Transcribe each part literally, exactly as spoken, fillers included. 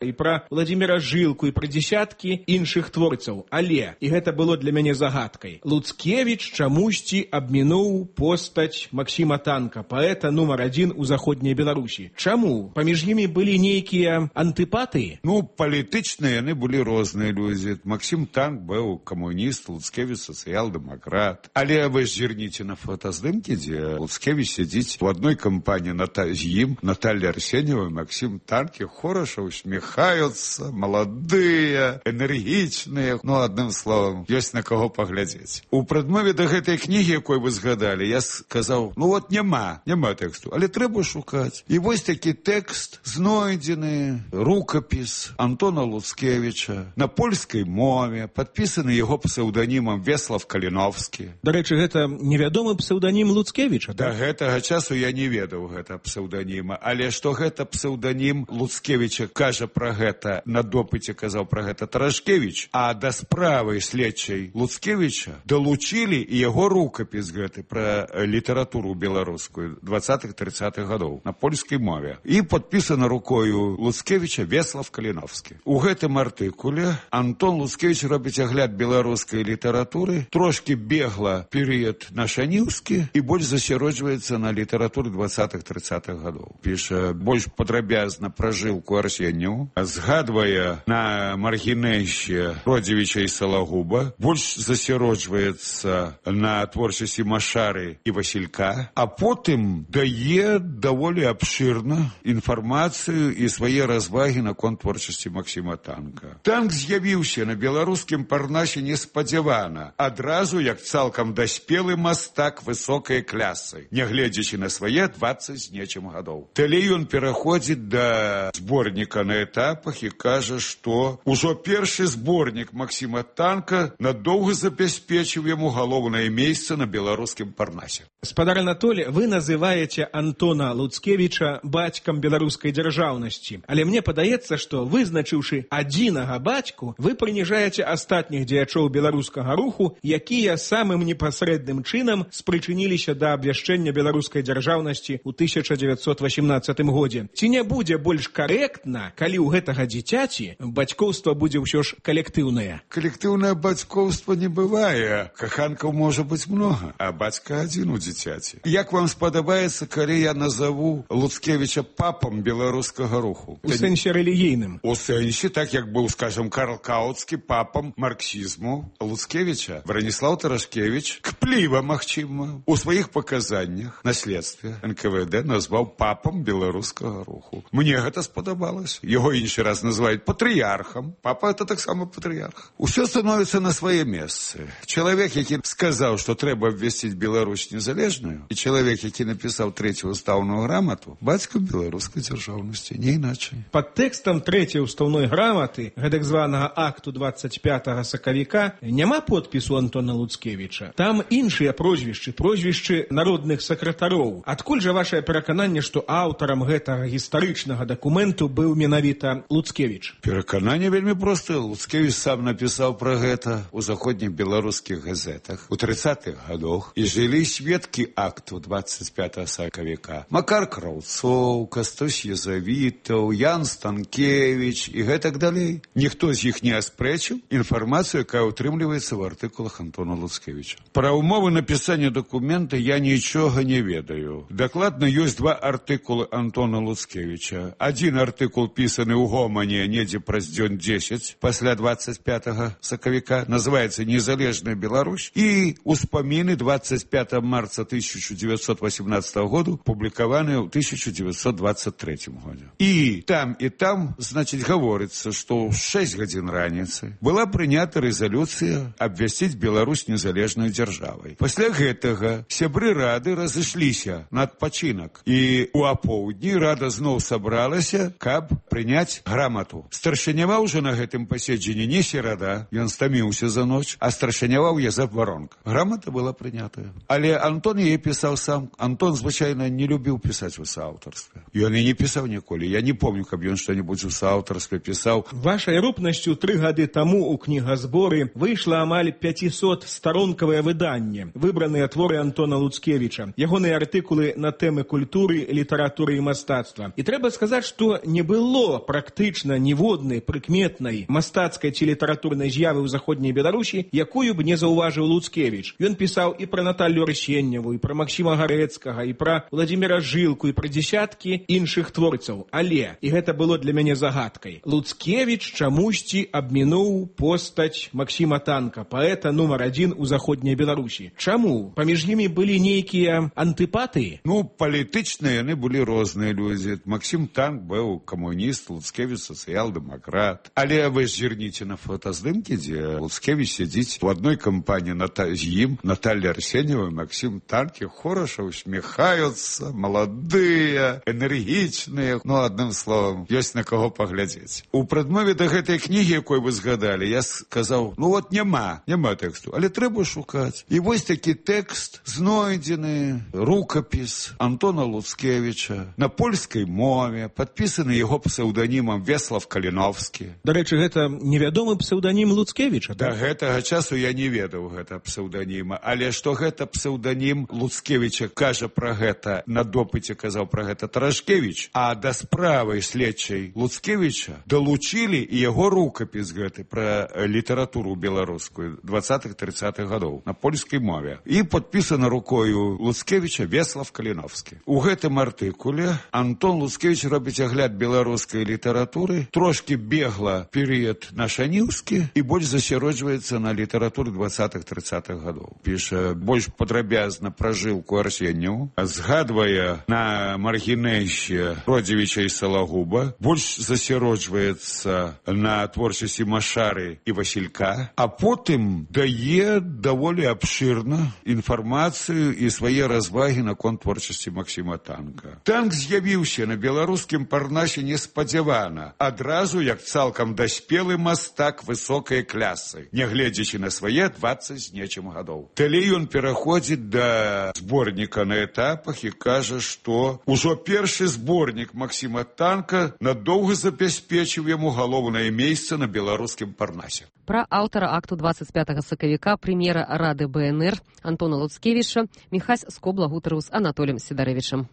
і пра Владзіміра Жылку, і пра дзесяткі іншых творцаў. Але, і гэта было для мяне загадкай, Луцкевіч чамусьці абмінуў постаць Максіма Танка, паэта нумар адзін у заходняй Беларусі. Чаму? Паміж імі былі нейкія антыпатыі? Ну, палітычна яны былі розныя людзі. Максім Танк быў камуніст, Луцкевіч сацыял-дэмакрат. Але вы ж зірніце на фотаздымкі, дзе Луцкевіч сядзіць у адной кампаніі з ім, Наталья Арсеньева, Максім Танк і Хораша усміхаюцца, маладыя, энергічныя. Ну, адным словам, ёсць на каго паглядзець. У прадмове да гэтай кнігі, якой вы згадалі, я сказаў, ну вот няма, няма тэксту, але трэба шукаць. І вось такі тэкст знойдзены, рукапіс Антона Луцкевіча на польскай мове, падпісаны яго псеўданімам Веслав Каліновскі. Дарэчы, гэта невядомы псеўданім Луцкевіча, да? Да гэтага часу я не ведаў гэта псеўданіма, але што гэта псеўданім Луцкевіча, кажа пра гэта, на допыце казаў пра гэта Тарашкевіч, а да справы следчай Луцкевіча далучылі і яго рукапіс гэты пра літаратуру беларускую двадцатых-трыццатых гадоў на польскай мове. І падпісана рукою Луцкевіча Веслав Каліновскі. У гэтым артыкуле Антон Луцкевіч робіць агляд беларускай літаратуры, трошки бегла перыяд нашаніўскі і больш засяроджваецца на літаратуры двадцатых-трыццатых гадоў. Піша больш падрабязна пра Жылку Арсеньеву, згадвае на маргінэйще Родзівіча і Салагуба, больш засяроджваецца на творчасці Машары і Васілька, а потым дае даволі абшырна інфармацыю і свае развагі наконт творчасці Максіма Танка. Танк з'явіўся на беларускім парнасе неспадзявана, адразу як цалкам даспелы мастак высокай клясы, нягледзячы на свае дваццаць з нечым гадоў. Далей ён пераходзіць да зборніка на этапах і кажа, што ўжо першы зборнік Максіма Танка надоўга забяспечыў яму галоўнае месца на беларускім парнасе. Спадар Анатолий, вы называете Антона Луцкевича бацькам беларускай дзяржаўнасці, але мне падаецца, што вызначыўшы адзінага бацьку, вы прыніжаеце астатніх дзеячоў беларускага руху, якія самым непасрэдным чынам спрычыніліся да абвяшчэння беларускай дзяржаўнасці ў тысяча дзевяцьсот васемнаццатым годзе. Ці не будзе больш карэктна, калі ў гэтага дзіцяці бацькоўства будзе ўсё ж калектыўнае? Калектыўнае бацькоўства не бывае. Каханкаў можа быць многа, а бацька адзін у дзіцяці. Як вам спадабаецца, калі я назову Луцкевіча папам беларускага руху? У сэнсе рэлігійным. У сэнсе, так як быў, скажем, Карл Кауцкі папам марксізму. Луцкевіча Браніслаў Тарашкевіч кпліва, магчыма, у сваіх паказаннях на следстве эн ка вэ дэ назваў папам беларускага руху. Мне гэта спадабалася. Яго іншы раз называюць патрыярхам. Папа это таксама патрыярх. Усё становіцца на свае месцы. Чалавек, які сказаў, што трэба абвясціць Беларусь незалежную, і чалавек, які напісаў трэцюю ўстаўную грамату, бацька беларускай дзяржаўнасці, не іначай. Пад тэкстам трэцяй уставной граматы, гэтак званага акту двадцать пятага сакавіка, няма подпісу Антона Луцкевіча. Там іншыя прозвішчы, прозвішчы народных сакратароў. Адкуль жа вашае перакананне, што аўтарам гэтага гістарычнага дакументу быў менавіта Луцкевіч? Перакананне вельмі простае. Луцкевіч сам напісаў пра гэта ў заходніх беларускіх газетах у трыццатых гадоў, і жылі сведкі акту двадцать пятага сакавіка. Макар Краўцоў, Кастусь Езавітаў, Ян Станкевіч і гэтак далей. Ніхто з іх не аспрэчыў інфармацыю, якая ўтрымліваецца ў артыкулах Антона Луцкевіча. Пра ўмовы напісання дакумента я нічога не ведаю. Дакладна ёсць два артыкулы Антона Луцкевіча. Адзін артыкул пісаны ў гомане недзе праз дзён дзесяць пасля двадцать пятага сакавіка, называецца «Незалежная Беларусь», і «Успаміны двадцать пятого марта тысяча девятьсот восемнадцатого года», публікаваныя ў тысяча девятьсот двадцать третьем годзе. І там, і там, значыць, гаворыцца, што ў шэсць гадзін раніцы была прынята рэзалюцыя абвясціць Беларусь незалежнай дзяржавай. Пасля гэтага сябры рады разышліся на адпачынак, і ў апоўдні рада зноў сабралася, каб прыняць грамату. Старшыняваў жа на гэтым паседжанні не серада, ён стаміўся за ноч, а старшыняваў Язэп Варонка. Грамата была прынятая. Але Антон яе пісаў сам. Антон, звычайна, не любіў пісаць у сааўтарстве. Ён і не пісаў ніколі. Я не помню, каб ён што-небудзь у сааўтарстве пісаў. Вашай рупнасцю тры гады таму ў кнігазборы выйшла амаль пяцісот-старонкавае выданне, выбраныя творы Антона Луцкевіча, ягоныя артыкулы на тэмы культуры, літаратуры і мастацтва. І трэба сказаць, што не было практычна ніводнай прыкметнай мастацкай ці літаратурнай з'явы ў заходняй Беларусі, якую б не заўважыў Луцкевіч. Ён пісаў і пра Наталлю Арсеньеву, і пра Максіма Гарэцкага, і пра Владзіміра Жылку, і пра дзесяткі іншых творцаў. Але, і гэта было для мяне загадкай, Луцкевіч чамусьці абмінуў постаць Максіма Танка, паэта нумар адзін у заходняй Беларусі. Чаму? Паміж імі былі нейкія антыпатыі? Ну, палітычна яны былі розныя людзі. Максім Танк быў камуніст, Луцкевіч сацыял-дэмакрат. Але вы зірніце на фотаздымкі, дзе Луцкевіч сядзіць у адной кампаніі з ім, Наталья Арсеньева і Максім Танкі хораша усміхаюцца, маладыя, энергічныя. Ну, адным словам, ёсць на каго паглядзець. У прадмове да гэтай кнігі, якой вы згадалі, я сказаў, ну вот няма, няма тэксту, але трэба шукаць. І вось такі тэкст знойдзены, рукапіс Антона Луцкевіча на польскай мове, падпісаны яго псеўданімам Веслав Каліновскі. Дарэчы, гэта невядомы псеўданім Луцкевіча, да? Да гэтага часу я не ведаў гэта псеўданіма, але што гэта псеўданім Луцкевіча, кажа пра гэта, на допыце казаў пра гэта Тарашкевіч, а да справы следчай Луцкевіча далучылі і яго рукапіс гэты пра літаратуру беларускую двадцатых-трыццатых гадоў на польскай мове. І падпісана рукою Луцкевіча Веслав Каліновскі. У гэтым артыкуле Антон Луцкевіч робіць агляд беларускай літаратуры, трошки бегла перыяд нашаніўскі і больш засяроджваецца на літаратуры двадцатых-трыцатых гадоў. Піша больш падрабязна пра Жылку Арсеньеву, згадвае на маргінэйще Родзевіча і Салагуба, больш засяроджваецца на творчасці Машары і Васілька, а потым дае даволі абшырна інфармацыю і свае развагі наконт творчасці Максіма Танка. Танк з'явіўся на беларускім парнасе неспадзявана, адразу як цалкам даспелы мастак высокай клясы, нягледзячы на свае дваццаць з нечым гадоў. Далей ён пераходзіць да зборніка на этапах і кажа, што ўжо першы зборнік Максіма Танка надоўга забяспечыў яму галоўнае месца на беларускім парнасе. Пра аўтара акту двадцать пятого сакавіка прэм'ера Рады БНР Антона Луцкевіча Міхась Скобла гутарыў з Анатоліем Сідарэвічам.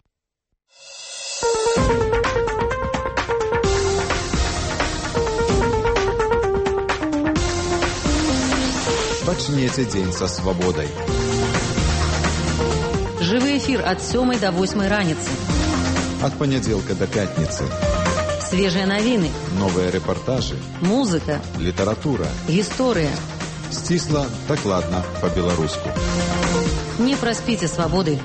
Пачнеце дзень са свабодай. Жывы эфір ад сёмай да восьмай раніцы. Ад панядзелка да пятніцы. Свежыя навіны. Новыя рэпартажы. Музыка. Літаратура. Гісторыя. Сцісла, дакладна, па-беларуску. Не праспіце свабоды.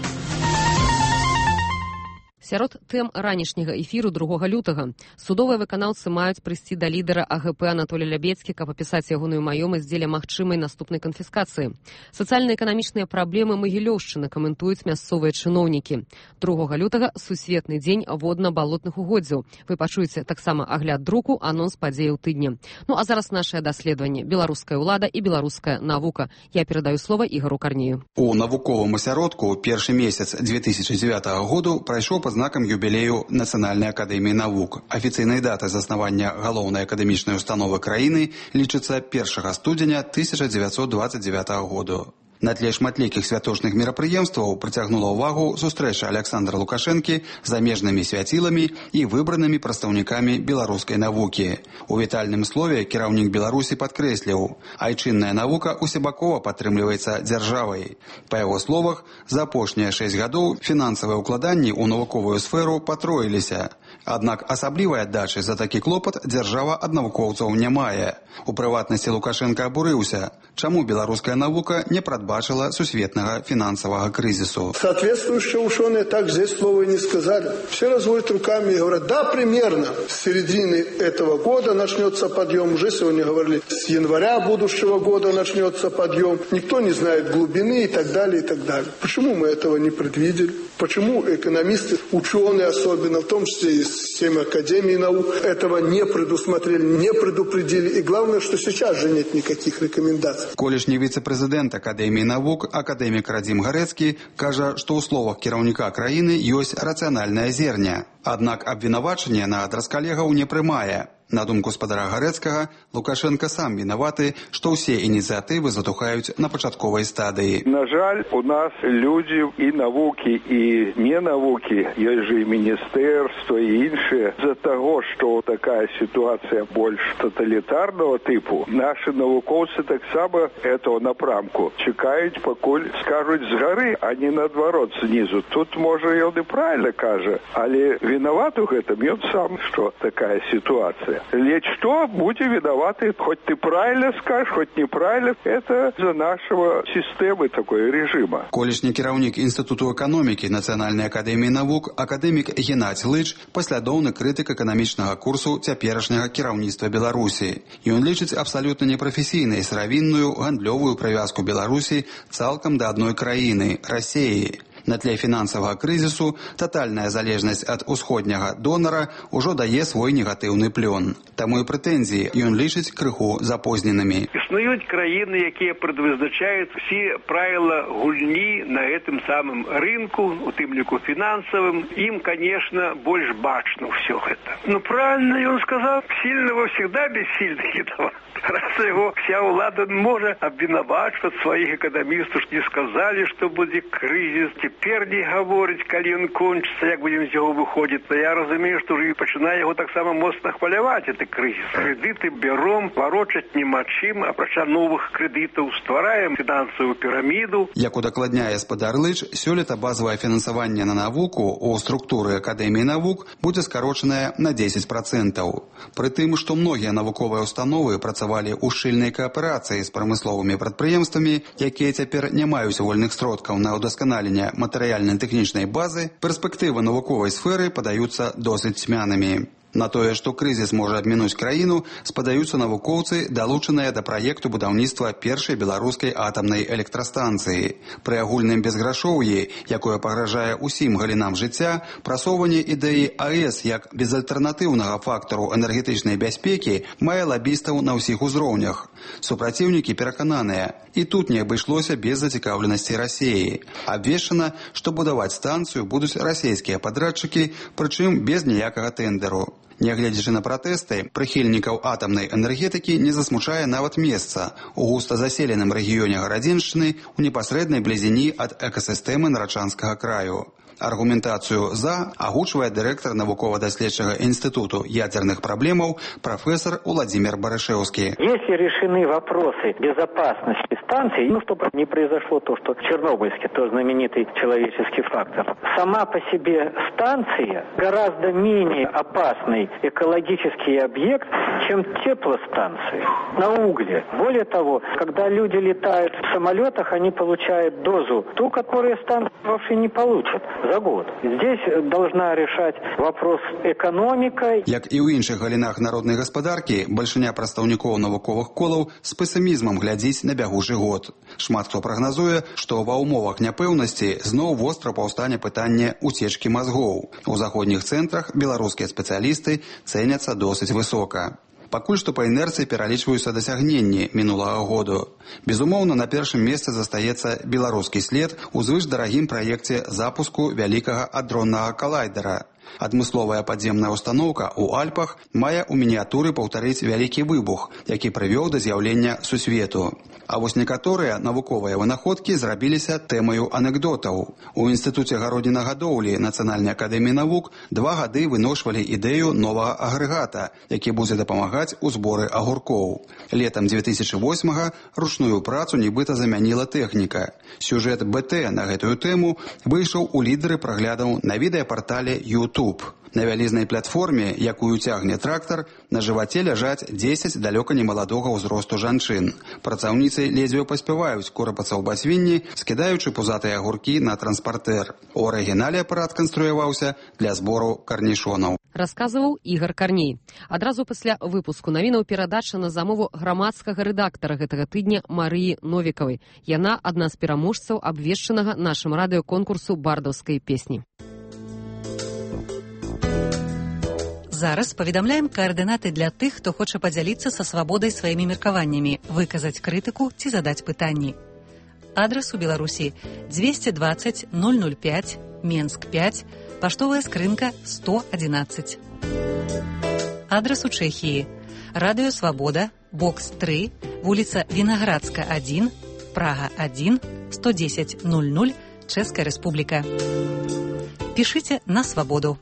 Сярод тэм ранішняга эфіру другога лютага судовыя выканаўцы маюць прыйсці да лідара АГП Анатолія Лябедзькі, каб апісаць ягоную маёмасць дзеля магчымай наступнай канфіскацыі. Сацыяльна-эканамічныя праблемы Магілёўшчыны каментуюць мясцовыя чыноўнікі. другога лютага сусветны дзень водна-балотных угоддзяў. Вы пачуеце таксама агляд друку, анонс падзеяў тыдня. Ну а зараз нашае даследаванне беларуская ўлада і беларуская навука. Я перадаю слова Ігару Карнею. У навуковым асяродку першы месяц две тысячи девятого году прайшоў пад знакам юбілею Нацыянальнай акадэміі навук. Афіцыйнай датай заснавання галоўнай акадэмічнай установы краіны лічыцца першага студзеня тысяча дзевяцьсот двадцать девятого году. На тле шматлікіх святочных мерапрыемстваў прыцягнула ўвагу сустрэча Аляксандра Лукашэнкі з замежнымі свяціламі і выбранымі прадстаўнікамі беларускай навукі. У вітальным слове кіраўнік Беларусі падкрэсліў, айчынная навука усебакова падтрымліваецца дзяржавай. Па яго словах, за апошнія шэсць гадоў фінансавыя ўкладанні ў навуковую сферу патроіліся. Аднак асаблівай аддачы за такі клопат дзяржава ад навукоўцаў не мае. У прыватнасці Лукашенко абурыўся, чаму беларуская навука не прадбачила сусветного финансового кризису. Соответствующие ученые так здесь слова и не сказали. Все разводят руками и говорят, да, примерно с середины этого года начнется подъем. Уже сегодня говорили, с января будущего года начнется подъем. Никто не знает глубины и так далее, и так далее. Почему мы этого не предвидели? Почему экономисты, ученые особенно, в том числе и системы Академии наук, этого не предусмотрели, не предупредили. И главное, что сейчас же нет никаких рекомендаций. Колішні віцэ-прэзідэнт Акадэміі навук, акадэмік Радзім Гарэцкі, кажа, што ў словах кіраўніка краіны ёсць рацыянальнае зерня. Аднак абвінавачанне на адрас калегаў не прымае. На думку спадара Гарэцкага, Лукашенко сам вінаваты, што ўсе ініцыятывы затухаюць на пачатковай стадыі. На жаль, у нас людзі і навукі, і не навукі, ёсць жа і міністэрства, і іншыя. З-за таго, што такая сітуацыя больш тоталітарнага тыпу, нашы навукоўцы таксама этого напрамку чакаюць, пакуль скажуць з гары, а не наадварот знізу. Тут, можа, ён і правільна кажа, але вінават у гэтым ён сам, што такая сітуацыя. Ледь что, будь виноваты, хоть ты правильно скажешь, хоть неправильно, это за нашего системы такой режима. Колішні кіраўнік Інстытуту эканомікі Нацыянальнай акадэміі навук, акадэмік Геннадзь Лыч, паслядоўны крытык эканамічнага курсу цяперашняга кіраўніцтва Беларусі. Ён лічыць абсалютна непрафесійнай сыравінную гандлёвую прывязку Беларусі цалкам да адной краіны – Расіі. На тле фінансавага крызісу татальная залежнасць ад усходняга донара ўжо дае свой негатыўны плён. Таму і прэтэнзіі ён лічыць крыху запозненымі. Існуюць краіны, якія прадвызначаюць усе правіла гульні на гэтым самым рынку, у тым ліку фінансавым. Ім, конечно, больш бачна ўсё гэта. Ну, правильно ён сказаў, сильного всегда бессильный едва. Раз его вся ўлада можа абвінавачваць сваіх эканамістаў, што не сказалі, што будзе крызіс. Цяпер не гаворыць, калі ён кончыцца, як будзем з яго выходзіць. Но я разумею, што ўжо пачынае яго таксама моцна хваляваць, гэты крызіс. Крэдыты бяром, варочаць няма чым, апрача новых крэдытаў ствараем фінансавую піраміду. Як удакладняе спадар Лыч, сёлета базавае фінансаванне на навуку ў структуры Акадэміі навук будзе скарочанае на дзесяць працэнтаў. Пры тым, што многія навуковыя установы працавалі ў шчыльнай кааперацыі з прамысловымі прадпрыемствамі, якія цяпер не маюць вольных сродкаў на ўдасканаленне матэрыяльна-тэхнічнай базы, перспектывы навуковай сферы падаюцца досыць цьмянымі. На тое, што крызіс можа абмінуць краіну, спадаюцца навукоўцы, далучаныя да праекту будаўніцтва першай беларускай атамнай электрастанцыі. Пры агульным безграшоўі, якое пагражае ўсім галінам жыцця, прасоўванне ідэі АЭС як безальтэрнатыўнага фактару энергетычнай бяспекі мае лабістаў на ўсіх узроўнях. Супраціўнікі перакананыя, і тут не абышлося без зацікаўленасці Расіі. Абвешчана, што будаваць станцыю будуць расійскія падрадчыкі, прычым без ніякага тэндэру. Нягледзячы на пратэсты, прыхільнікаў атамнай энергетыкі не засмучае нават месца у густа заселеным рэгіёне Гарадзеншчыны ў непасрэднай блізіні ад экасістэмы Нарачанскага краю. Аргументацию «за» агучвае дырэктар навукова-даследчага інстытуту ядерных проблемаў профессор Владимир Барышевский. Если решены вопросы безопасности станции, ну, чтобы не произошло то, что в Чернобыльске, то знаменитый человеческий фактор, сама по себе станция гораздо менее опасный экологический объект, чем теплостанции на угле. Более того, когда люди летают в самолетах, они получают дозу, ту, которую станция вообще не получит за год. Здесь должна решать вопрос экономика. Як і ў іншых галінах народнай гаспадаркі, бальшыня прадстаўнікоў навуковых колаў з песімізмам глядзіць на бягучы год. Шмат хто прагназуе, што ва ўмовах няпэўнасці зноў востра паўстане пытанне уцечкі мазгоў. У заходніх цэнтрах беларускія спецыялісты цэняцца досыць высока. Пакуль што па інерцыі пералічваюцца дасягненні мінулага году. Безумоўна, на першым месцы застаецца беларускі след у звышдарагім праекце запуску вялікага адроннага калайдера. Адмысловая падземная установка ў Альпах мае ў мініятуры паўтарыць вялікі выбух, які прывёў да з'яўлення сусвету. А вось некаторыя навуковыя вынаходкі зрабіліся тэмаю анекдотаў. У Інстытуце гароднінагадоўлі Нацыянальнай акадэміі навук два гады выношвалі ідэю новага агрэгата, які будзе дапамагаць у зборы агуркоў. Летам дзве тысячы восьмага ручную працу нібыта замяніла тэхніка. Сюжэт БТ на гэтую тэму выйшаў у лідары праглядаў на відэапартале YouTube. На вялізнай платформе, якую цягне трактар, на жываце ляжаць дзесяць далёка немаладога ўзросту жанчын. Працаўніцы ледзьве паспяваюць корапацца ў басвінні, скідаючы пузатыя агуркі на транспартэр. У арыгінале апарат канструяваўся для збору карнішонаў. Расказваў Ігар Карней. Адразу пасля выпуску навінаў перадача на замову грамадскага рэдактара гэтага тыдня Марыі Новікавай. Яна адна з пераможцаў абвешчанага нашым радыёконкурсу бардаўскай песні. Зараз паведамляем каардынаты для тых, хто хоча падзяліцца са свабодай сваімі меркаваннямі, выказаць крытыку ці задаць пытанні. Адрас у Беларусі двести двадцать ноль ноль пять, Менск пять, паштовая скрынка сто одиннадцать. Адрас у Чэхіі. Радыё Свабода, бокс тры, вуліца Вінаградска адзін, Прага адзін, сто дзесяць ноль ноль, Чэшская Рэспубліка. Пішыце на Свабоду.